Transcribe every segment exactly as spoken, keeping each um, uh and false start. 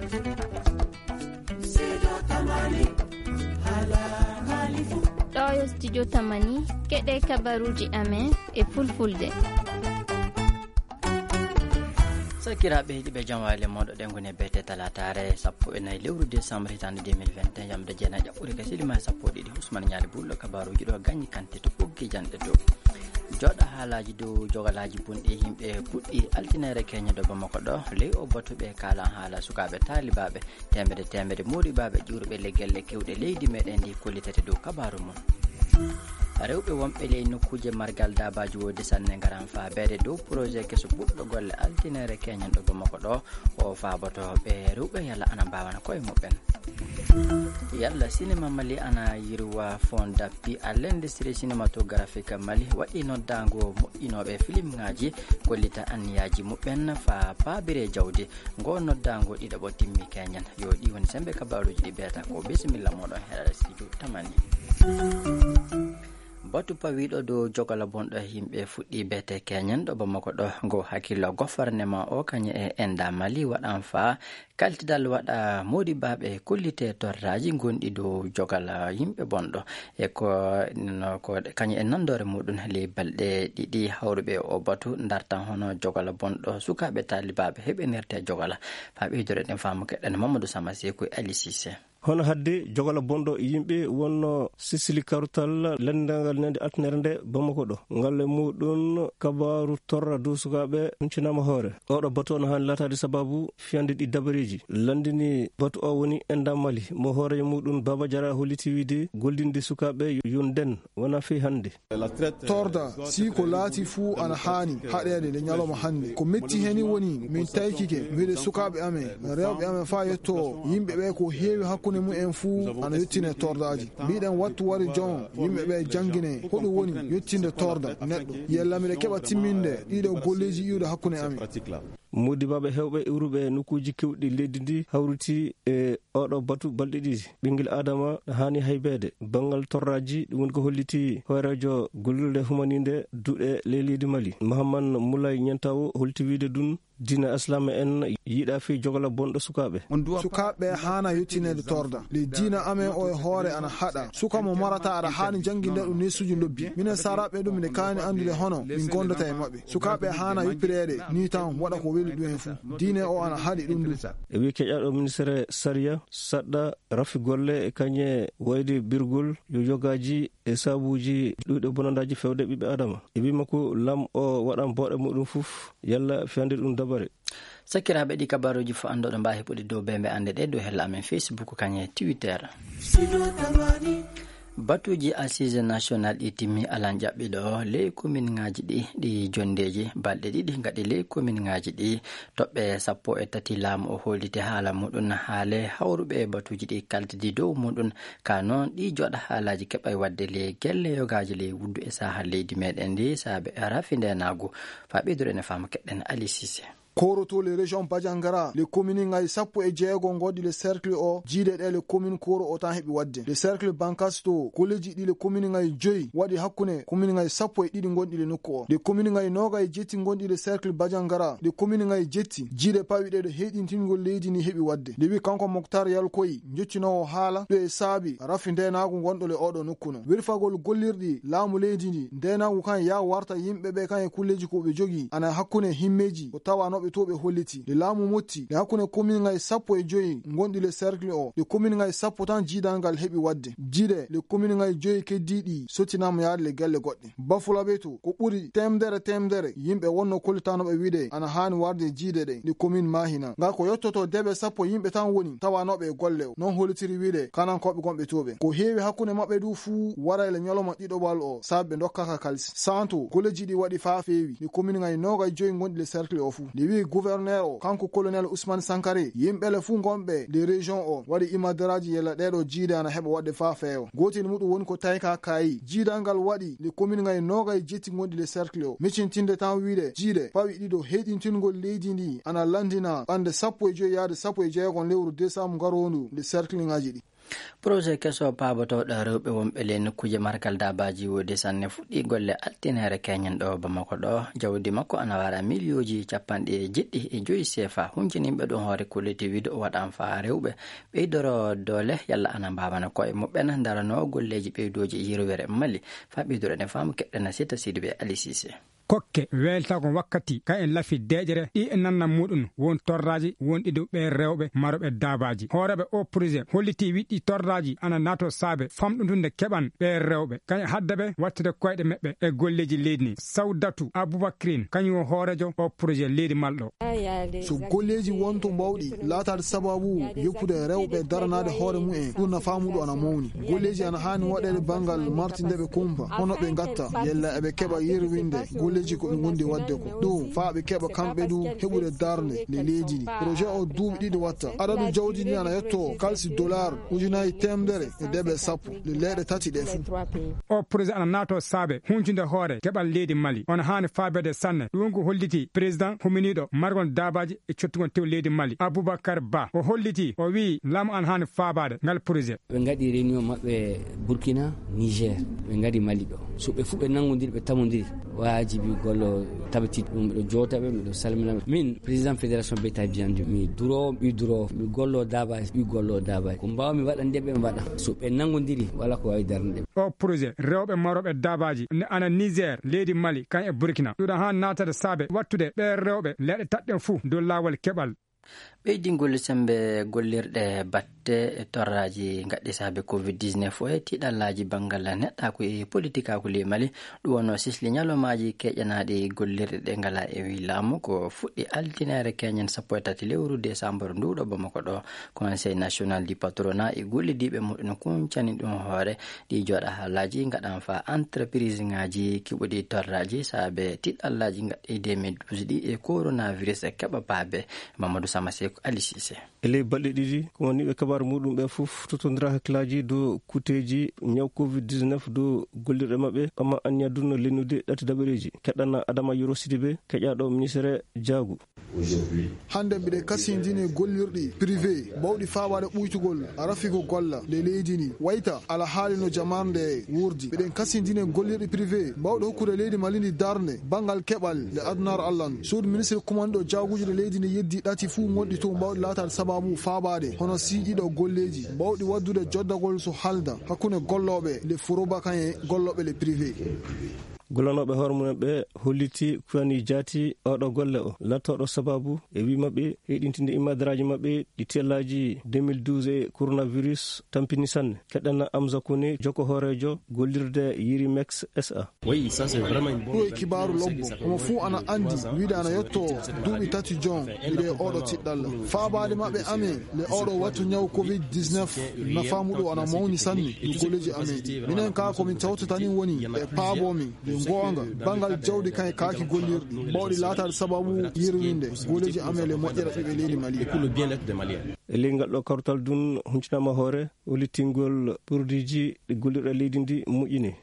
Ɗo yo studio Tamani, keɗe kabaruuji amen e fulfulde. Sakiraaɓe heɗiiɓe, jam waale moɗo ɗen ngoni bete talataare sappo e nayi lewru décembre hitaande deux mille vingt et un, jamde jeenayi ɓuri ka silima sappo e ɗiɗi. Usman Ñaali Bulɗo kabaruuji ɗo gañi kante to ɓoggi janɗe dow. Jooɗa haalaaji dow jogalaaji bonɗi yimɓe puɗɗi altinere keñe ɗo Bamako ɗo. Ley o batu ɓe kaala haala sukaaɓe taalibaaɓe teemedde teemedde moɗibaaɓe ƴuuruɓe le gelle kewɗe leydi meɗen ndi kollitete dow kabaaru mum. Rewɓe wonɓe ley nokkuuje margal daabaaji woodi sanne ngaran faabeede dow projet keso puɗɗo golle altinere keñen ɗo Bamako ɗo. O faaboto ɓe rewɓe yalla ana mbaawana koye muɓɓen. Yalla sinema Mali ana yirwa fond d'appui à l'industrie cinématographique Mali waɗi noddaango moƴƴinooɓe filimŋaaji kollita anniyaaji muɓɓen faa paabire jawdi. Ngo noddaango ɗiɗaɓo timmi keñen. Yo ɗi woni sembe kabaruuji ɗi beeta ko bisimilla moɗon heɗaɗa studio Tamani. Batu pawiiɗo dow jogala bonɗo yimɓe fuɗɗi beete keñen ɗo Bamako ɗo. Ngo hakkillo gofarnema o kañe e enda Mali waɗan faa kaltidal waɗa moɗibaaɓe kollite torraaji gonɗi dow jogala yimɓe bonɗo. E ko, no, ko kañe e nandoore muɗum ley balɗe ɗiɗi hawruɓe o batu dartan hono jogala bonɗo sukaaɓe taalibaaɓe heɓenirte jogala. Faa ɓeydore ɗen faamu keɗen Mamadou Sama Seku e Ali Cissé. Hono hadde jogala bonɗo yimɓe wonno sisili karutal lanndangal nande altinere nde Bamako ɗo. Ngal e muɗum kabaaru torra dow sukaaɓe huncinaama hoore. Oɗo batu on haani laataade sababu fiyande ɗi dabareeji. Lanndini batu o woni enda Mali mo hoore muɗum Baba Jara holliti wiide gollinde sukaaɓe yo nden wona fii hannde. Torda, si ko laati fuu ana haani haɗeede nde ñalawma hannde. Ko metti heni woni min taykike, mbiɗe sukaaɓe amen, rewɓe amen faa yetto o, yimɓe ɓe ko heewi hakkunde mum en fuu ana yettine tordaaji. Mbiɗen wattu wari jon, yimɓe ɓe janngine, hoɗum woni yettinde torda neɗɗo. Yella miɗe keɓa timminde ɗiɗo golleeji iwde hakkunde amen. Moodibaaɓe heewɓe iwruɓe e nokkuuji keewɗi leydi ndi hawriti e oɗo batu balɗe ɗiɗi. Ɓinngel Aadama haani haybeede. Banngal torraaji, ɗum woni ko holliti hooreejo gollirde humaniinde duɗe ley leydi Mali, Mahaman Moulay Niantawo, holti wiide ɗum diina Islaam en yiɗa fii jogala bonɗo sukaaɓe. Sukaaɓe haana yettineede torda. Le diina amen o e hoore ana haɗa. Suka mo marata aɗa haani jannginde ɗum neesuuji lobbi. Minen Saaraaɓe ɗum miɗen kaani anndude hono min ngonndata e maɓɓe. Sukaaɓe haana yoppireede nii tan waɗa ko weli ɗum en fuu. Diine o ana haɗi ɗum ɗum. E wii keƴaɗo ministere sariya, saɗɗa, rafi golle e kañe wayde birgol yo yogaaji e sabuuji ɗuuɗe bonandaaji fewde ɓiɓɓe Adama. E wii makko lam o waɗan booɗe muɗum fof yalla fiyande ɗum dabare. Sakiraaɓe, ɗi kabaruuji fof anndoɗo mbaawi heɓude dow bembe annde ɗe dow hella amen Facebook kañe Twitter. Batuuji Assises Nationales ɗi timmi alan ƴaɓɓiɗo ley kominŋaaji ɗi, ɗi jonndeeji balɗe ɗiɗi ngaɗi ley kominŋaaji ɗi. Toɓɓe sappo e tati laamu o holliti haala muɗum haale hawruɓe e batuuji ɗi kaltidi dow muɗum. Ka noon ɗi jooɗa haalaaji keɓay waɗde ley gelle yogaaji ley wuddu e saaha leydi meɗen ndi saabe rafi ndenaagu. Faa ɓeydore ene faama keɗɗen Ali Cissé. Koroto le région Bajangara, le commune ngayi sappo e jeego ngoɗi le cercle o, jiide ɗe le commune koro o tan heɓi waɗde. Le cercle Bankasto, koleji ɗi le commune ngayi joyi waɗi hakkunde commune ngayi sappo e ɗiɗi gonɗi le nokku o. Le commune ngayi noga e jetti gonɗi le cercle Bajangara, le commune ngayi jetti, jiide pawi ɗe ɗo heyɗintingol leydi ndi heɓi waɗde. Nde wi kanko Moktar Yalkoyi, joccinoowo haala ɗo e saabi rafi ndenaagu gonɗo le oɗo nokku no. Wirfagol gollirɗi laamu leydi ndi, ndenaagu kan ya warta yimɓe ɓe kan e kulleeji ko ɓe jogii, ana hakkunde himmeeji ko tawanooɓe to ɓe holliti. Nde laamu motti, nde hakkunde komin ngayi sappo e joyi gonɗi le cercle o, nde komin ngayi sappo tan jiidal ngal heɓi waɗde. Jiide le komin ngayi joyi keddiiɗi sottinaama yaade le gelle goɗɗe. Bafulaɓe to, ko ɓuri temdere temdere yimɓe wonno kollitanooɓe wiide ana haani warde jiide ɗe, nde komin Mahina. Ngal ko yottoto deɓe sappo yimɓe tan woni tawanooɓe e golle o. Non hollitiri wiide kanankooɓe gonɓe to ɓe. Ko heewi hakkunde maɓɓe du fuu waray le ñalawma ɗiɗoɓal o, sabi ɓe ndokkaka kalisi. Santo, golleeji ɗi waɗi faa feewi, nde komin ngayi noogay joyi gonɗi le cercle o fuu. Nde wi'i gouverneur o, kanko colonel Ousmane Sankare, yimɓe le fuu gonɓe nde région o, waɗi imadaraaji yella ɗeeɗo jiide ana heɓa waɗde faa feewa. Gootel muɗum woni ko tayka kaayi. Jiidal ngal waɗi nde komin ngayi noogay jetti gonɗi le cercle o. Miccintinde tan wiide, jiide pawi ɗiɗo heyɗintingol leydi ndi ana lanndina ɓannde sappo e joyi yaade sappo e jeegom lewru décembre ngaroondu nde cercle ngaji ɗi. Projet keso paabotooɗo rewɓe wonɓe ley nokkuuje margal daabaaji woodi sanne fuɗɗii golle altineere keñen ɗo Bamako ɗo. Jawdi makko ana wara miliyooji capanɗe jeɗɗi e joyi seefa. Hunciniiɓe ɗum hoore kolliti wiide o waɗan faa rewɓe ɓeydoro doole yalla ana mbaawano koye muɓɓen daranoo golleeji ɓeydooji yirwere Mali. Faa ɓeydoro ne faamu keɗɗena sita Sidibe Ali Sise. Kokke weeltaako wakkati ka en lafi deeƴere ɗi e nanna muɗum won torraaji wonɗi dow ɓee rewɓe marooɓe daabaaji. Hooreeɓe o projet hollitii wiɗɗi torraaji ana naato saabe famɗutunde keɓan ɓee rewɓe kañe hadda ɓe wattude koyɗe meɓɓe e golleeji leydi ni. Sawdatu Abubakrin kañum o hooreejo o projet leydi malɗo. So golleeji wonto mbawɗi laataade sababu yoppude rewɓe daranaade hoore mumen, ɗum nafaa muɗum ana mawni. Golleeji ana haani waɗeede banngal martinde ɓe kumpa, hono ɓe ngatta, yalla eɓe keɓa yerwinde golleeji ko ɓe ngondi waɗde ko. Ɗum faa ɓe keɓa kamɓe du heɓude darnde nde leydi ndi. Projet o duuɓi ɗiɗi watta. Adadu jawdi ndi ana yetto kalsi dollar ujunaaji teemedere e deeɓe sappo nde leyɗe tati ɗe fuu. O projet ana naato saabe huncude hoore keɓal leydi Mali. Ona haani faabeede sanne. Ɗum ko holliti président huminiiɗo margol daabaaji e cottugol tew leydi Mali, Abubakar Ba. O holliti, o wi'i laamu ana haani faabaade ngal projet. Ɓe ngaɗi réunion maɓɓe Burkina, Niger. Ɓe ngaɗi Mali ɗo. So ɓe fuu ɓe nanngondiri, ɓe tamondiri, waajibi gollo tabiti ɗum. Miɗo joota ɓe, miɗo salmina ɓe. Min, président fédération Beta Biandu, mi duro, mi duro, mi gollo daabaaji, mi gollo daabaaji. Ko mbaawmi waɗande ɓe, mi waɗa. So ɓe nanngondiri, wala ko waawi darnde ɓe. O projet rewɓe marooɓe daabaaji ne ana Niger, leydi Mali, kan e Burkina. Ɗuɗa haa naatata saabe wattude ɓee rewɓe leɗɗe taɗɗen fuu dow laawol keɓal. Ɓeydingol semmbe gollirɗe batte e torraaji ngaɗɗi saabe covid dix-neuf o e tiiɗallaaji banngal neɗɗaaku e politikaaku ley Mali, ɗum wonno sisli ñalawmaaji keeƴanaaɗi gollirɗe ɗe ngalaa e wii laamu. Ko fuɗɗi altineere keñen sappo e tati lewru desambur nduuɗo Bamako ɗo. Conseil national du patronat e gollidiiɓe muɗum kuncani ɗum hoore ɗi jooɗa haalaaji ngaɗan faa entreprise ŋaaji keɓuɗi torraaji saabe tiiɗallaaji ngaɗɗi deux mille douze ɗi e coronavirus e keɓa paabe. Mamadou Sama Seeku, Ali Sise. E ley balɗe ɗiɗi, ko woni ɓe kabaaru muɗum ɓe fof totondira hakkillaaji dow kuuteeji ñaw covid dix-neuf dow gollirɗe maɓɓe, amma anniya dunno lennude ɗati dabareeji. Keɗɗana Adama Yoro Sidibe, keƴaaɗo ministere jaagu. Hannde mbiɗen kasindini gollirɗi privé bawɗi faabaade ɓuytugol rafigo golla nde leydi ndi. Wayta ala haali no jamaanu nde wuurdi. Mbiɗen kasindini gollirɗi privé bawɗi hokkude leydi Mali ndi darnde banngal keɓal nde adunaaru Allah ndu. Suudu ministre kumanɗo jaaguuji ɗe leydi ndi yeddi ɗati fuu ngonɗi toon bawɗi laataade sababu faabaade hono siiƴiiɗo golleeji bawɗi waɗdude joddagol so halda hakkunde gollooɓe le furoba kan e gollooɓe le privé. Gollanooɓe hoore mumen ɓe holliti kuyani jaati oɗo golle o lattooɗo sababu e wi maɓɓe heyɗintinde immadaraaji maɓɓe ɗi tellaaji deux mille douze e coronavirus tampini sanne. Keɗɗana Amza Kone, jokko hooreejo gollirde Yirimex S A. Ɗum e kibaaru lobbo. Omo fuu ana anndi wiide ana yotto duuɓi tati jon miɗo e oɗo tiɗɗalla. Faabaade maɓɓe amen le oɗo wattu ñaw covid dix-neuf nafaa muɗum ana mawni sanne no golleeji amen ɗi. Minen kaa ko min tawtata ni woni ɓe paaboo min. Ɗum goonga, banngal jawdi kan e kaaki gollirɗi, bawɗi laataade sababu yerwinde goleeji amen e moƴƴere ɓiɓɓe leydi Mali. E ley ngal ɗo kawtal dun huncinaama hoore, hollitingol produitji ɗi gollirɗe leydi ndi moƴƴini.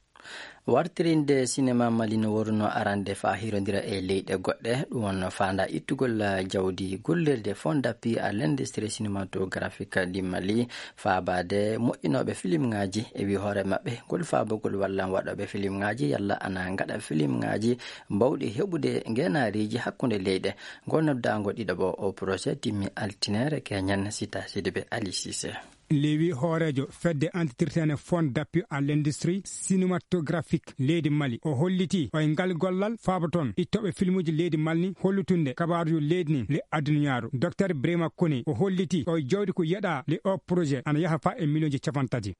Wartirinde sinema Mali no worunoo arande faa hirondira e leyɗe goɗɗe, ɗum wonno faanda ittugol jawdi gollirde Fonds d'appui à l'industrie cinématographique du Mali, faabaade moƴƴinooɓe filimŋaaji e wi hoore maɓɓe ngol faabugol wallan waɗooɓe filimŋaaji yalla ana ngaɗa filimŋaaji mbawɗi heɓude ngeenaariiji hakkunde leyɗe. Ngol noddaango ɗiɗaɓo o projet timmi altine keñen. Sita Sidibe Ali Sise. Lewi hooreejo fedde antitirtene Fonds d'appui à l'industrie cinématographique leydi Mali, o holliti o e ngal gollal faabo toon ittooɓe filmuuji leydi Mali ni hollutunde kabaaruuji leydi ni le aduniyaaru. Docteur Brema Kone o holliti o e jawdi ko yeɗaa le o projet ana yaha faa e miliyonji capanɗe tati.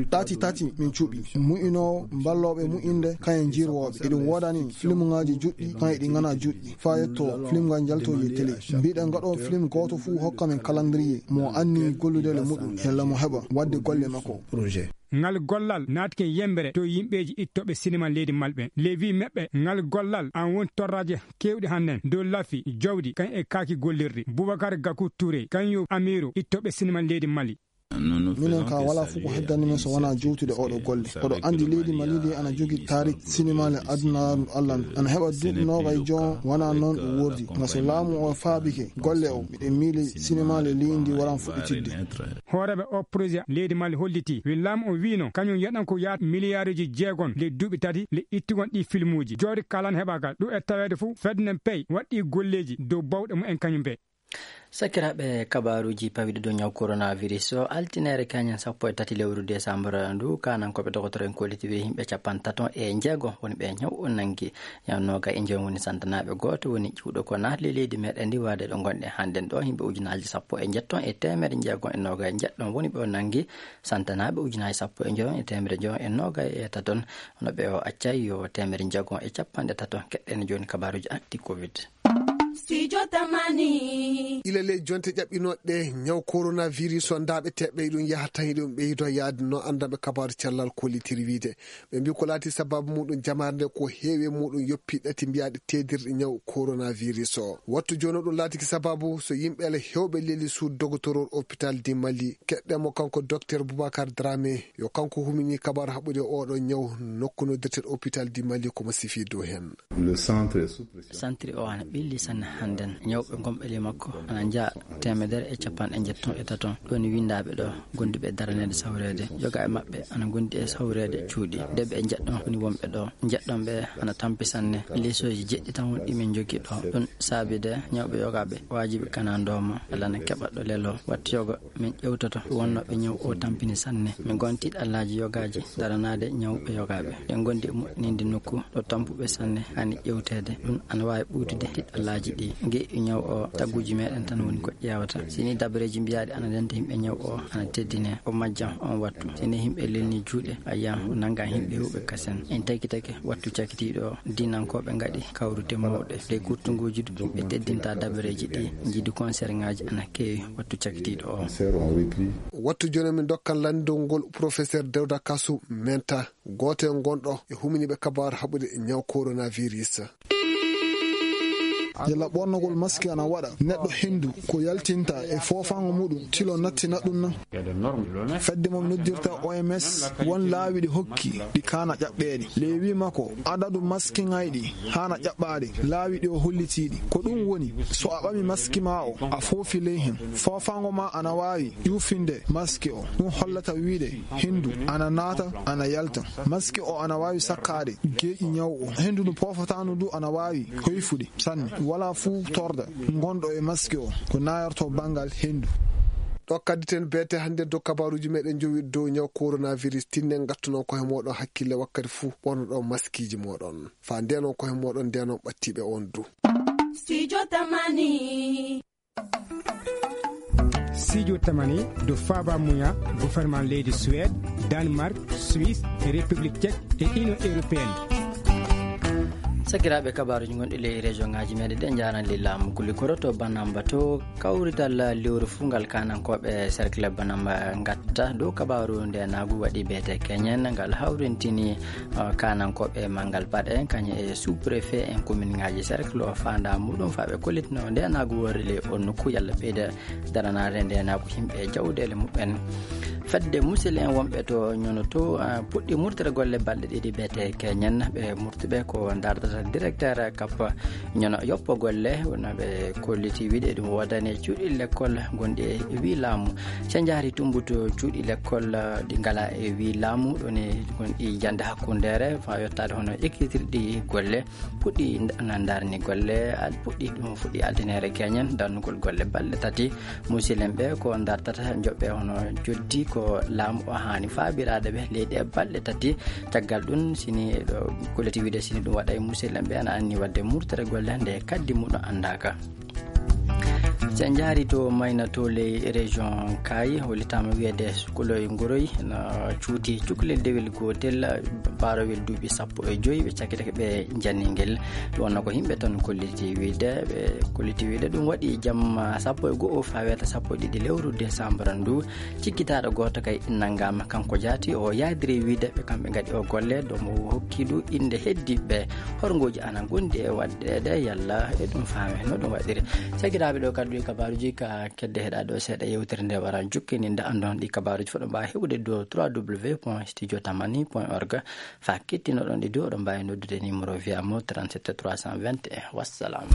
Tati tati min cuɓi mu'inoowo mballooɓe mu'inde kayen jirwooɓe. Eɗum woodani filmuŋaaji juɗɗi kan eɗi ŋana juɗɗi faa yetto film ngal njalto e télé. Mbiɗen ngaɗo film gooto fuu hokka men calendrier mo anni gollude le muɗum yalla mo heɓa waɗde golle makko. Ngal gollal naatike yembere to yimɓeeji ittooɓe sinema leydi Mali ɓe. Levi meɓɓe ngal gollal an woni torraaji keewɗi hannden dow lafi jawdi kan e kaaki gollirɗi. Boubacar Gakou Touré kan yo amiiru ittooɓe sinema leydi Mali. Minen ka wala fof ko heddani men so wona jowtude oɗo golle. Oɗo andi leydi Mali ndi ana jogi tarik sinimale adunaaru Allah ndu. Ana heɓa duuɓi noogay joon wona noon ɗum wordi. Nga so laamu o faabike golle o, miɗen miili sinimale leydi ndi waran fuɗɗitidde. Hooreeɓe o projet leydi Mali holliti, wi laamu o wiino kañum yaɗan ko yaata miliyaaruji jeegom le duuɓi tati le ittugon ɗi filmuuji. Jooɗi kalan heɓaaka ɗum e taweede fof fedde nden pey waɗɗi golleeji dow bawɗe mumen kañum be. Sakiraaɓe, kabaaruuji pawiɗi dow ñaw coronavirus o, altineere kañum sappo e tati lewru desambara ndu, kanankooɓe dogotoro en kolliti wi yimɓe capantato e jeego woni ɓe ñaw o nangi. Ñaw nooga e joom woni santanaaɓe, gooto woni ƴiwɗo ko naatli leydi meɗen ndi waade ɗo ngonɗe hannden ɗo, yimɓe ujunaaji sappo e njetton e teemere jeegom e nooga e njeɗɗon woni ɓe o nangi, santanaaɓe ujunaaji sappo e joom e teemere joom e nooga e taton, hono ɓe o accay yo teemere jeegom e capanɗe tato. Keɗɗen jooni kabaaruuji anti covid. Studio Tamani. Ila ley jonte ƴaɓɓinooɗe ñaw coronavirus o, ndaaɓe teɓɓe ɗum yaha tan eɗum ɓeydo yaade no anndanɓe kabaaru cellal kollitiri wiide. Ɓe mbi ko laati sababu muɗum jamaare nde ko heewi e muɗum yoppi ɗati mbiyaɗe teedirɗe ñaw coronavirus o. Wattu jooni o ɗum laatiki sababu so yimɓe ala hewɓe leli suudu dogotoro hôpital di Mali. Keɗɗen mo kanko docteur Boubacar Dramé, yo kanko humini kabaaru haɓude oɗo ñaw nokku noddirten hôpital di Mali ko mo sifi dow hen. Le centre est sous pression. Santiri o ana ɓilli sanne hannden. Ñawɓe gonɓe ley makko ana njaa teemedere e capanɗe njetton e taton. Ɗon windaaɓe ɗo, gonduɓe daraneede sawreede. Yoga e maɓɓe ana gondi e sawreede cuuɗi. Deɓe e njeɗɗon woni wonɓe ɗo. Njeɗɗon ɓe ana tampi sanne. Leesooji jeɗɗi tan woni ɗi min njogii ɗo. Ɗum saabi de ñawɓe yogaaɓe waajibi kana ndooma. Alla na keɓa ɗo lelo. Wattu yoga min ƴewtoto wonnooɓe ñaw o tampini sanne. Min ngon tiiɗallaaji yogaaji daranaade ñawɓe yogaaɓe. Ɗen gondi e moƴƴininde nokku ɗo tampuɓe sanne hani ƴewteede. Ɗum ana waawi ɓuytude tiiɗallaaji ɗi. Ngeeƴu ñaw o tagguuji meɗen tan woni ko ƴeewata. Si ni dabareeji mbiyaaɗi ana ndenta yimɓe ñaw o ana teddine, o majjan on wattu. Si ni yimɓe lelni juuɗe, a yiyan o nanga yimɓe huɓe kasen. En taki taki wattu cakitiiɗo o, diinankooɓe ngaɗi kawrute mawɗe. Ley kurtunguuji du, ɓe teddinta dabareeji ɗi, njiidi concert ŋaaji ana keewi wattu cakitiiɗo o. Wattu jooni min dokkan lanndol ngol professeur Dawda Kasu Menta, gooto e gonɗo e huminiiɓe kabaaru haɓude ñaw coronavirus. Yalla ɓornogol maski ana waɗa neɗɗo hendu ko yaltinta e foofaango muɗum tilo nattina ɗum nan? Fedde mo noddirta O M S won laawi ɗi hokki ɗi kaana ƴaɓɓeede. Ley wii makko adadu maski ŋayɗi haana ƴaɓɓaade laawi ɗi o hollitiiɗi. Ko ɗum woni so a ɓami maski ma o a foofi ley hen, foofaango ma ana waawi ƴuufinde maski o. Ɗum hollata wiide hendu ana naata ana yalta. Maski o ana waawi sakkaade geeƴi ñaw o. Hendu ndu poofataano ndu ana waawi hoyfude sanne. Wala fuu torda ngonɗo e maski o ko nayorto banngal hendu. Ɗo kadditen beete hannde dow kabaaruuji meɗen jowi dow ñaw coronavirus. Tinnen ngattunon koye moɗon hakkille wakkati fuu ɓornoɗon maskiiji moɗon. Faa ndeenon koye moɗon ndeenon ɓattiiɓe on du. Studio Tamani. Studio Tamani do faaba muya gouvernement leydi Suède, Danemark, Suisse, République Tchèque et Union Européenne. Sakiraaɓe, kabaaruuji gonɗi ley région ŋaaji meɗen ɗe njaran ley laamu Kulikoro to Banamba to kawrital lewru fuu ngal kanankooɓe cercle Banamba ngatta dow kabaaru ndenaagu waɗi beete keñen ngal hawrintini, uh, kanankooɓe manngal paɗe kañum e sous-préfet en commune ŋaaji cercle o faanda muɗum faa ɓe kollitino ndenaagu worri ley on nokku yalla ɓeyda daranaade ndenaagu yimɓe e jawɗeele muɓɓen. Fedde musidɓe en wonɓe to ñono to, uh, puɗɗi murtere golle balɗe ɗiɗi beete keñen ɓe murtuɓe ko dardata directeur kappa ñono yoppo golle wona ɓe kolliti wiɗe ɗum woodani e cuuɗi lekkol gonɗi e wii laamu. Se njaari tumbuto cuuɗi lekkol, uh, ɗi ngala e wii laamu ɗoni gonɗi jande hakkundeere faa yottaade hono ekkitirɗi golle puɗɗi nda-, na ndarni golle al-, puɗɗi ɗum fuɗɗi altinere keñen darnugol golle balɗe tati. Musilem ɓe ko dartata joɓɓe hono joddi ko laamu o haani faabiraade ɓe leydi e balɗe tati. Caggal ɗum sini ɗo kolliti wiide sini ɗum waɗa e musilem ɓe ana anni waɗde murtere golle nde kaddi muɗum anndaaka. Se en njaari to Mayna to ley région Kaayi, hollitaama wiyeede sukuloy ngoroy na cuuti cukalel dewel gootel, baarowel duuɓi sappo e joy, ɓe cakkitake ɓe janni ngel. Ɗum wonno ko yimɓe tan kolliti wiide, ɓe kolliti wiide ɗum waɗi jamma sappo e go'o faa weeta sappo e ɗiɗi lewru desambara ndu. Cikkitaaɗo gooto kay nanngaama, kanko jaati o yaadiri wiide ɓe kamɓe ngaɗi o golle, ɗo mo hokki du innde heddiiɓe. Horngooji ana ngondi e waɗdeede yalla e ɗum faame no ɗum waɗiri. Sakiraaɓe, ɗo kadi Ɗi kabaaruuji ka kedde heɗa ɗo seeɗa yewtere nde wara jukkini nda andon ɗi kabaaruuji fof ɗo mbaawi heɓude dow trois w point studio tamani point org. Fa kettinoɗon ɗi dow oɗon mbaawi noddude numéro via mo trente-sept trois cent vingt et un. Wassalam.